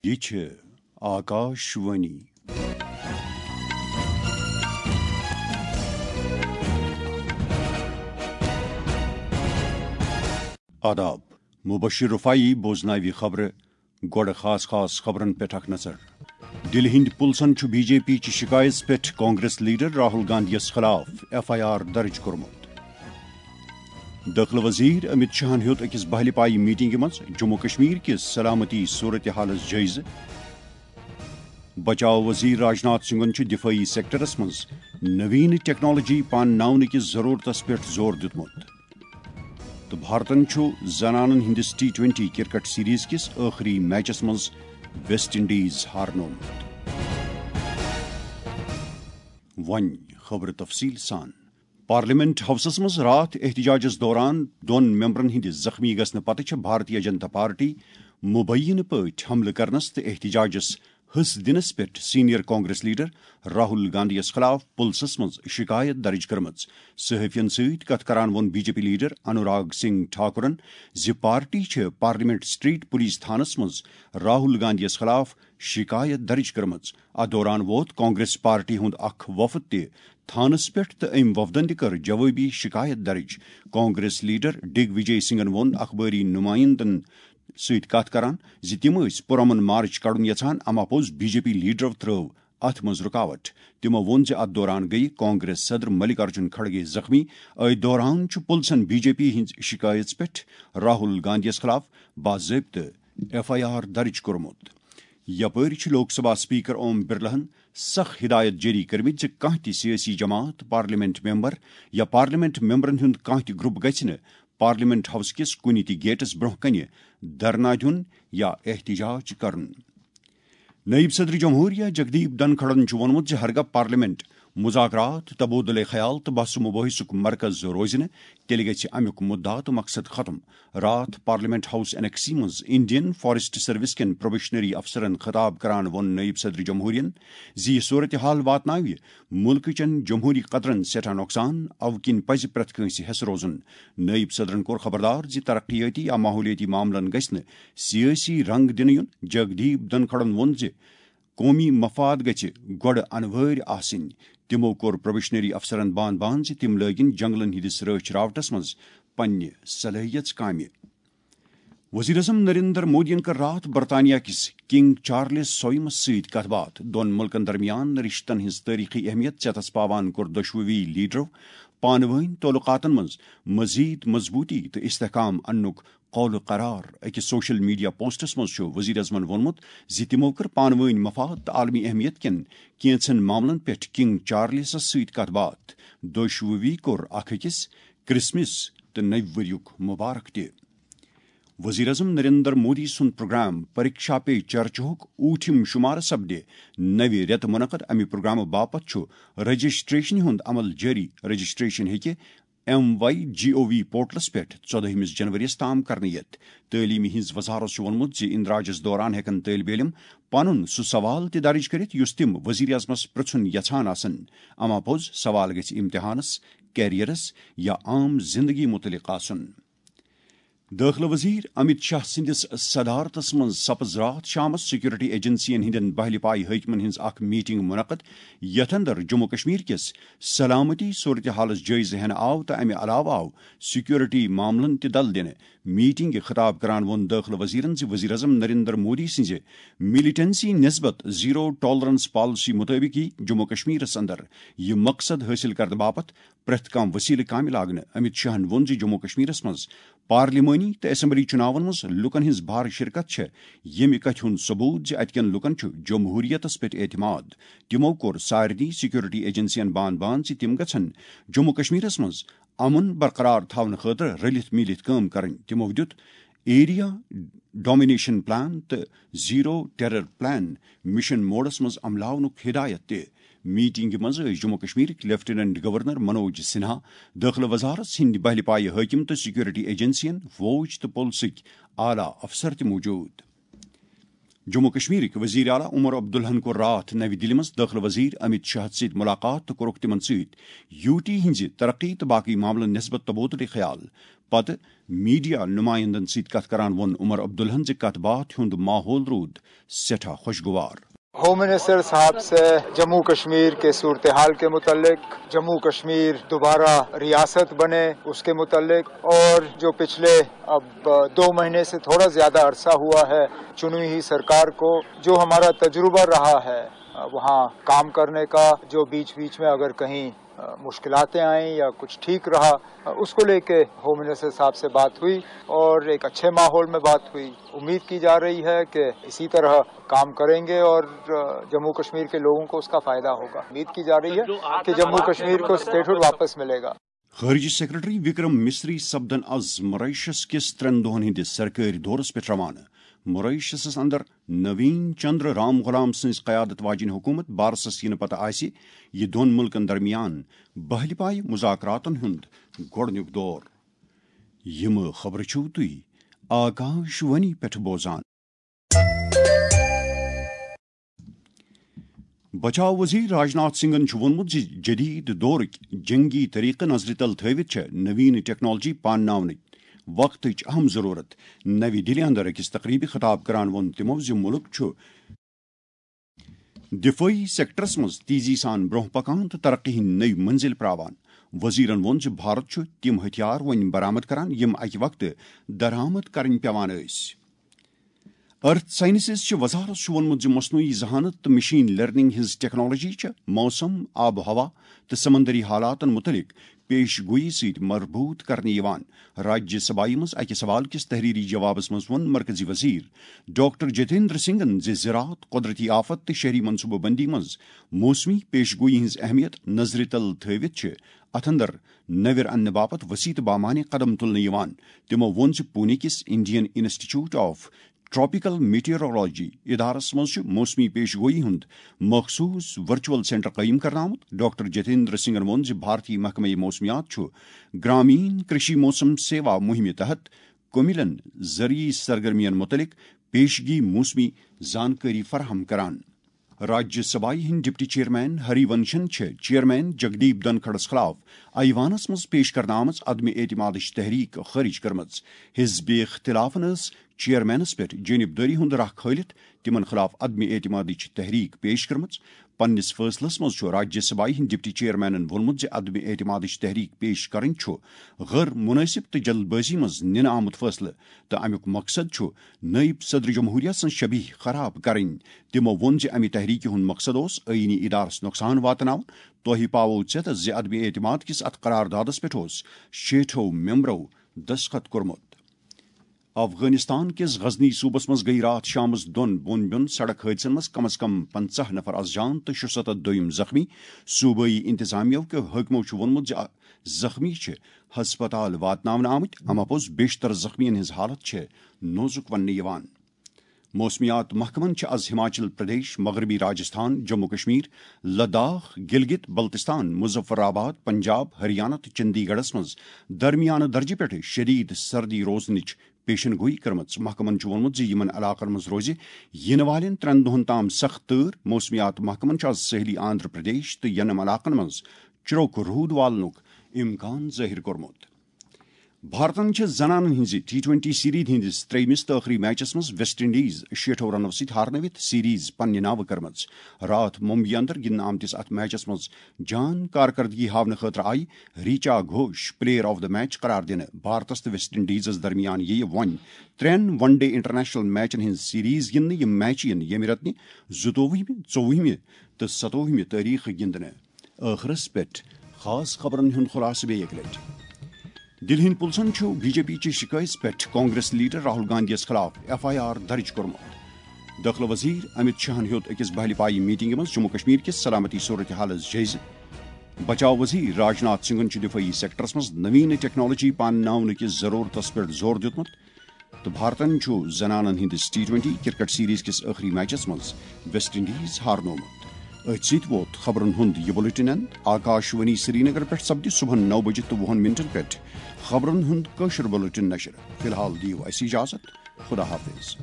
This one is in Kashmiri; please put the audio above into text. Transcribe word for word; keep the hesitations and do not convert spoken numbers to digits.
یہِ چھِ آکاش وانی۔ آداب، مبشر رفاعی بوزناوِ خبرٕ۔ گۄڈٕ خاص خاص خبرن پٮ۪ٹھ اکھ نظر۔ دِلہِ ہٕنٛدۍ پُلسن چھُ بی جے پی چہِ شِکایژ پٮ۪ٹھ کانگریس لیڈر راہل گاندھیَس خلاف ایف آئی آر درٕج کوٚرمُت۔ دٲخلہٕ وزیر امت شاہن ہیوٚت أکِس بہلہِ پایہِ میٹنگہِ منٛز جموں کشمیر کِس سلامتی صورتحالس جٲیزٕ۔ بچاو وزیر راجناتھ سنگھن چھُ دفٲعی سیکٹرس منٛز نوین ٹیکنالوجی پانناونہٕ کِس ضرورتس پٮ۪ٹھ زور دیُتمُت۔ تہٕ بھارتن چھُ زنانن ہٕنٛدِس ٹی ٹوینٹی کرکٹ سیریز کِس ٲخری میچس منٛز ویسٹ انڈیز ہارنوومُت۔ وۄنۍ خبرٕ تفصیل سان۔ پارلیمنٹ ہاؤسس منٛز راتھ احتجاجس دوران دۄن ممبرن ہٕنٛدِ زخمی گژھنہٕ پتہٕ چھےٚ بھارتیہ جنتا پارٹی مبینہ پٲٹھۍ حملہٕ کرنس تہٕ احتجاجس حصہٕ دِنس پٮ۪ٹھ سینئر کانگریس لیڈر راہل گاندھیَس خلاف پُلسس منٛز شکایت درج کٔرمٕژ۔ صحافین سۭتۍ کتھ کران ووٚن B J P leader Anurag Singh ٹھاکرن زِ پارٹی چھِ پارلیمنٹ سٹریٹ پولیس تھانس منٛز راہل گاندھیَس خلاف شکایت درج کٔرمٕژ۔ اتھ دوران ووت کانگریس پارٹی ہُنٛد اکھ وفد تہِ تھانس پٮ۪ٹھ تہٕ أمۍ وفدن تہِ کٔر جوابی شکایت درج۔ کانگریس لیڈر ڈگ وجے سنگھن ووٚن اخبٲری نمائندن سۭتۍ کتھ کران زِ تِم ٲسۍ پرامن مارچ کڑُن یژھان، اما پوٚز بی جے پی لیڈرو ترٲو اتھ منٛز رکاوٹ۔ تِمو ووٚن زِ اتھ دوران گٔیہِ کانگریس صدر ملک ارجن کھڑگے زخمی۔ أتھۍ دوران چھُ پُلسن بی جے پی ہٕنٛز شکایژ پٮ۪ٹھ راہل گاندھیَس خلاف باضٲبطہٕ ایف آئی آر درج کوٚرمُت۔ یپٲرۍ چھُ لوک سبھا اسپیکر اوم برلاہن سخ ہدایت جٲری کٔرمٕتۍ زِ کانٛہہ تہِ سیٲسی جماعت، پارلیمنٹ ممبر یا پارلیمنٹ ممبرن ہُنٛد کانٛہہ تہِ گروپ گژھِ نہٕ پارلیمنٹ ہاؤس کِس کُنہِ تہِ گیٹس برٛونٛہہ کنہِ دھرنا دیُن یا احتجاج کرُن۔ نائب صدر جمہوریہ جگدیپ دھنکھڑن چھُ ووٚنمُت زِ ہرگاہ پارلیمنٹ مذاکرات، تبادلہ خیال تہٕ بحث و مباحثُک مرکز روزِ نہٕ، تیٚلہِ گژھِ امیُک مُدعا تہٕ مقصد ختم۔ راتھ پارلیمنٹ ہاؤس انیکسی منٛز انڈین فارسٹ سروس کٮ۪ن پروبیشنری افسرن خطاب کران ووٚن نائب صدر جمہوریہن زِ یہِ صورتحال واتناوِ مُلکہٕ چٮ۪ن جمہوری قدرن سٮ۪ٹھاہ نۄقصان، اَوٕ کِنۍ پزِ پرٛٮ۪تھ کٲنٛسہِ حٮ۪س روزُن۔ نٲیِب صدرن کوٚر خبردار زِ ترقیٲتی یا ماحولیٲتی معاملن گژھِ نہٕ سیٲسی رنگ دِنہٕ یُن۔ جگدیپ دھنکھڑن ووٚن زِ قومی مفاد گژھِ گۄڈٕ انوٲرۍ آسٕنۍ۔ تِمو کوٚر پروبیشنری افسرن بان بان زِ تِم لٲگِن جنگلن ہٕنٛدِس رٲچھ راوٹس منٛز پننہِ صلٲحیژ کامہِ۔ وزیر اعظم نریندر مودیَن کٔر راتھ برطانیہ کِس کنگ چارلس سویمس سۭتۍ کتھ باتھ۔ دۄن مُلکن درمیان رشتن ہٕنٛز تٲریخی اہمیت ژیتس پاوان کوٚر دۄشوٕے لیڈرو پانہٕ وٲنۍ تعلقاتن منٛز مزید مضبوٗطی تہٕ استحکام اننُک قول قرار۔ أکِس سوشل میڈیا پوسٹس منٛز چھُ وزیر اعظمن ووٚنمُت زِ تِمو کٔر پانہٕ وٲنۍ مفاد تہٕ عالمی اہمیت کٮ۪ن کینٛژن معاملن پٮ۪ٹھ کنگ چارلسس سۭتۍ کتھ باتھ۔ دۄشوٕے کوٚر اکھ أکِس کرسمس تہٕ نٔوِ ؤریُک مبارک تہِ۔ وزیر اعظم نریندر مودی سُنٛد پروگرام پریکشا پے چرچاہُک اوٗٹھِم شمارٕ سپدِ نوِ رٮ۪تہٕ منعقد۔ امہِ پروگرامہٕ باپتھ چھُ رجسٹریشن ہُنٛد عمل جٲری۔ رجسٹریشن ہیٚکہِ ایم واے جی او وی پورٹلس پٮ۪ٹھ ژۄدٲہمِس جنوریَس تام کرنہٕ یِتھ۔ تعلیٖمہِ ہٕنٛز وزارت چھُ ووٚنمُت زِ اندراجس دوران ہٮ۪کن طٲلب علم پنُن سُہ سوال تہِ درج کٔرِتھ یُس تِم وزیر اعظمس پرژھُن یژھان آسن۔ اما پوٚز سوال گژھِ امتحانس، کیریئرس یا عام زندگی متعلق آسُن۔ دٲخلہٕ وزیر امت شاہ سٕنٛدِس صدارتس منٛز سپٕز راتھ شامس سیکورٹی ایجنسین ہٕنٛدٮ۪ن بہلہِ پایہِ حٲکمن ہٕنٛز اکھ میٹنگ منعقد، یتھ اندر جموں کشمیر کِس سلامتی صورتحالس جٲیزٕ ہٮ۪نہٕ آو تہٕ امہِ علاوٕ آو سیکورٹی معاملن تہِ دل دِنہٕ۔ میٹنگہِ خطاب کران ووٚن دٲخلہٕ وزیرن زِ وزیر اعظم نریندر مودی سٕنٛزِ ملیٹنسی نسبت زیرو ٹالرنس پالیسی مطٲبق یی جموں کشمیرس اندر یہِ مقصد حٲصِل کرنہٕ باپتھ پرٛٮ۪تھ کانٛہہ وسیلہٕ کامہِ لاگنہٕ۔ امت شاہن ووٚن زِ جموں کشمیرس منٛز پارلیمانی تہٕ اسمبلی چُناون منٛز لوٗکن ہٕنٛز بھر شرکت چھےٚ ییٚمہِ کتھِ ہُنٛد ثبوت زِ اتہِ کٮ۪ن لوٗکن چھُ جمہوریتس پٮ۪ٹھ اعتماد۔ تِمو کوٚر سارنٕے سیکورٹی ایجنسین بان بان زِ تِم گژھن جموں کشمیرس منٛز امن برقرار تھاونہٕ خٲطرٕ رٔلِتھ میٖلِتھ کٲم کرٕنۍ۔ تِمو دیُت ایریا ڈومینیشن پلان تہٕ زیرو ٹیرر پلان مشن موڈس منٛز عملاونُک ہدایت تہِ۔ میٹنگہِ منٛز ٲسۍ جموں کشمیرٕکۍ لیفٹیننٹ گورنر منوج سنہا، دٲخلہٕ وزارت ہٕنٛدۍ بہلہِ پایہِ حٲکم تہٕ سیکورٹی ایجنسین، فوج تہٕ پُلسٕکۍ اعلیٰ افسر تہِ موجود۔ جموں کشمیرٕکۍ وزیر اعلیٰ عمر عبداللہن کوٚر راتھ نَوِ دِلہِ منٛز دٲخلہٕ وزیر امیت شاہَس سۭتۍ مُلاقات تہٕ کوٚرُکھ تِمَن سۭتۍ یوٗ ٹی ہٕنٛزِ ترقی تہٕ باقٕے معاملن نسبت تبادلہٕ خیال۔ پتہٕ میڈیا نمائندن سۭتۍ کتھ کران ووٚن عمر عبداللہن زِ کتھ باتھ ہُنٛد ماحول روٗد سٮ۪ٹھاہ خۄشگوار۔ ہوم منسٹر صاحب سے جموں کشمیر کے صورتحال کے متعلق، جموں کشمیر دوبارہ ریاست بنے اس کے متعلق، اور جو پچھلے اب دو مہینے سے تھوڑا زیادہ عرصہ ہوا ہے چنی ہوئی سرکار کو، جو ہمارا تجربہ رہا ہے وہاں کام کرنے کا، جو بیچ بیچ میں اگر کہیں مشکلاتیں آئیں یا کچھ ٹھیک رہا، اس کو لے کے ہوم منسٹر صاحب سے بات ہوئی اور ایک اچھے ماحول میں بات ہوئی۔ امید کی جا رہی ہے کہ اسی طرح کام کریں گے اور جموں کشمیر کے لوگوں کو اس کا فائدہ ہوگا۔ امید کی جا رہی ہے کہ جموں کشمیر کو اسٹیٹہڈ واپس ملے گا۔ خارجہ سیکرٹری وکرم مصری سپدن از ماریشس کِس ترٛٮ۪ن دۄہن ہٕنٛدِس سرکٲرۍ دورس پٮ۪ٹھ روانہٕ۔ ماریشسس اندر نوین چندر رام غلام سٕنٛز قیادت واجیٚنۍ حکومت بارسس یِنہٕ پتہٕ آسہِ یہِ دۄن مُلکن درمیان بہلہِ پایہِ مذاکراتن ہُنٛد گۄڈٕنیُک دور۔ یِم خبرٕ چھِو تُہۍ آکاش وانی پٮ۪ٹھ بوزان۔ بچاو وزیر راجناتھ سنگھن چھُ ووٚنمُت زِ جدید دورٕکۍ جنگی طریقہٕ نظرِ تل تھٲوِتھ چھےٚ نوین ٹیکنالوجی پانناونٕچ وقتٕچ اہم ضرورت۔ نوی دِلہِ اندر أکِس تقریبہِ خطاب کران ووٚن تِمو زِ مُلک چھُ دفٲعی سیکٹرس منٛز تیزی سان برونٛہہ پکان تہٕ ترقی ہٕنٛدۍ نٔوۍ منزل پراوان۔ وزیرن ووٚن زِ بھارت چھُ تِم ہتھیار وۄنۍ برآمد کران، یِم اکہِ وقتہٕ درآمد کرٕنۍ پیوان ٲسۍ۔ ارتھ سائنسز چہِ وزارت چھُ ووٚنمُت زِ مصنوعی ذہانت تہٕ مشین لرننگ ہٕنٛز ٹیکنالوجی چھِ موسم، آب و ہوا تہٕ سمندری حالاتن متعلق پیش گویی سۭتۍ مربوط کرنہٕ یِوان۔ راجیہ سبھایہ منٛز اکہِ سوال کِس تحریری جوابس منٛز ووٚن مرکزی وزیر ڈاکٹر جتیندر سنگھن زِ زراعت، قدرتی آفت تہٕ شہری منصوبہٕ بندی منٛز موسمی پیش گویی ہٕنٛز اہمیت نظرِ تل تھٲوِتھ چھِ اتھ اندر نویر اننہٕ باپتھ وسیع تہٕ بامعنی قدم تُلنہٕ یِوان۔ تِمو ووٚن زِ پونے کِس انڈین انسٹیٹیوٹ آف ٹراپیکل میٹیورولوجی ادارس منٛز چھُ موسمی پیش گویی ہُنٛد مخصوص ورچوئل سینٹر قٲیِم کرنہٕ آمُت۔ ڈاکٹر جتیندر سنگھن ووٚن زِ بھارتی محکمہ موسمیات چھُ گرامین کرشی موسم سیوا مہمہِ تحت کمیلن زرعی سرگرمین متعلق پیشگی موسمی زانکٲری فراہم کران۔ راجیہ سبھایہ ہٕنٛدۍ ڈپٹی چیئرمین ہری ونشن چھِ چیئرمین جگدیپ دھنکھڑس خلاف ایوانس منٛز پیش کرنہٕ آمٕژ عدم اعتمادٕچ تحریک خٲرج کٔرمٕژ۔ حزب اختلافن ٲس چیئرمینس پٮ۪ٹھ جٲنبدٲری ہُنٛد راہ کھٲلِتھ تِمن خلاف عدم اعتمادٕچ تحریک پیش کٔرمٕژ۔ پننِس فٲصلس منٛز چھُ راجیہ سبھایہ ہٕنٛدۍ ڈپٹی چیئرمینن ووٚنمُت زِ عدم اعتمادٕچ تحریک پیش کرٕنۍ چھُ غٲر مناسب تہٕ جلد بٲزی منٛز نِنہٕ آمُت فٲصلہٕ تہٕ امیُک مقصد چھُ نٲیِب صدر جمہوریہ سٕنٛز شبیہ خراب کرٕنۍ۔ تِمو ووٚن زِ امہِ تحریکہِ ہُنٛد مقصد اوس آئینی ادارس نۄقصان واتناوُن۔ توہہِ پاوو ژیتس زِ عدم اعتماد کِس اتھ قرار دادس پٮ۪ٹھ اوس شیٹھو ممبرو دستخط کوٚرمُت۔ افغانستان کِس غزنی صوبس منٛز گٔیہِ راتھ شامس دۄن بۄن بیوٚن سڑک حٲدثن منٛز کم از کم پنژاہ نفر از جان تہٕ شُستتھ دوٚیِم زخمی۔ صوبٲئی انتظامیہ کیو حٲکمو چھُ ووٚنمُت زِ زخمی چھِ ہسپتال واتناونہٕ آمٕتۍ، اما پوٚز بیشتر زخمیَن ہٕنٛز حالت چھِ نوزُک وننہٕ یِوان۔ موسمیات محکمن چھِ از ہماچل پردیش، مغربی راجستھان، جموں کشمیر، لداخ، گلگت بلتستان، مظفر آباد، پنجاب، ہریانہ تہٕ چندی گڑھس منٛز درمیانہٕ درجہٕ پٮ۪ٹھ شدید سردی روزنٕچ پیشن گویی کٔرمٕژ۔ محکمن چھُ ووٚنمُت زِ یِمن علاقن منٛز روزِ یِنہٕ والٮ۪ن ترٛٮ۪ن دۄہن تام سخت تۭر۔ موسمیات محکمن چھُ از ساحلی آندھرا پردیش تہٕ یِنم علاقن منٛز چِرُک روٗد والنُک امکان ظٲہِر کوٚرمُت۔ بھارتن چھِ زنانن ہٕنٛزِ ٹی ٹوئنٹی سیریز ہٕنٛدِس ترٛیٚیمِس تہٕ ٲخری میچس منٛز ویسٹ انڈیز شیٹھو رنو سۭتۍ ہارنٲوِتھ سیریز پننہِ ناوٕ کٔرمٕژ۔ راتھ ممبئی اندر گِنٛدنہٕ آمتِس اتھ میچس منٛز جان کارکردگی ہاونہٕ خٲطرٕ آیہِ Richa Ghosh player of the match قرار دِنہٕ۔ بھارتس تہٕ ویسٹ انڈیزس درمیان یِیہِ وۄنۍ ترٛٮ۪ن ون ڈے انٹرنیشنل میچن ہٕنٛز سیریز گِنٛدنہٕ۔ یِم میچ یِن ییٚمہِ رٮ۪تہٕ نہِ زٕتووُہمہِ، ژوٚوُہمہِ تہٕ ستووُہمہِ تٲریخہٕ گِنٛدنہٕ۔ ٲخرس پٮ۪ٹھ خاص خبرن ہُنٛد خلاصہٕ بیٚیہِ اکہِ لٹہِ۔ دِلہِ ہٕنٛدۍ پُلسن چھُ بی جے پی چہِ شِکایژِ پٮ۪ٹھ کانگریس لیڈر راہل گاندھی یَس خلاف ایف آئی آر درٕج کوٚرمُت۔ دٲخلہٕ وزیر امت شاہن ہیوٚت أکِس بہلہِ پایہِ میٹنگہِ منٛز جموں کشمیر کِس سلامتی صورتحالس جٲیزٕ۔ بچاو وزیر راجناتھ سنگھن چھُ دفٲعی سیکٹرس منٛز نوین ٹیکنالوجی پانناونہٕ کِس ضرورتس پٮ۪ٹھ زور دیُتمُت۔ تہٕ بھارتن چھُ زنانن ہٕنٛدِس ٹی ٹوئنٹی کرکٹ سیریز کِس ٲخری میچس منٛز ویسٹ انڈیز ہارنوومُت۔ أتھۍ سۭتۍ ووت خبرن ہُنٛد یہِ بُلٹن اند۔ آکاش وانی سرینگر پٮ۪ٹھ سپدِ صبحن نو بجہِ تہٕ وُہن منٹن پٮ۪ٹھ خبرن ہُنٛد کٲشُر بُلٹن نشر۔ فی الحال دِیِو اَسہِ اجازت۔ خدا حافظ۔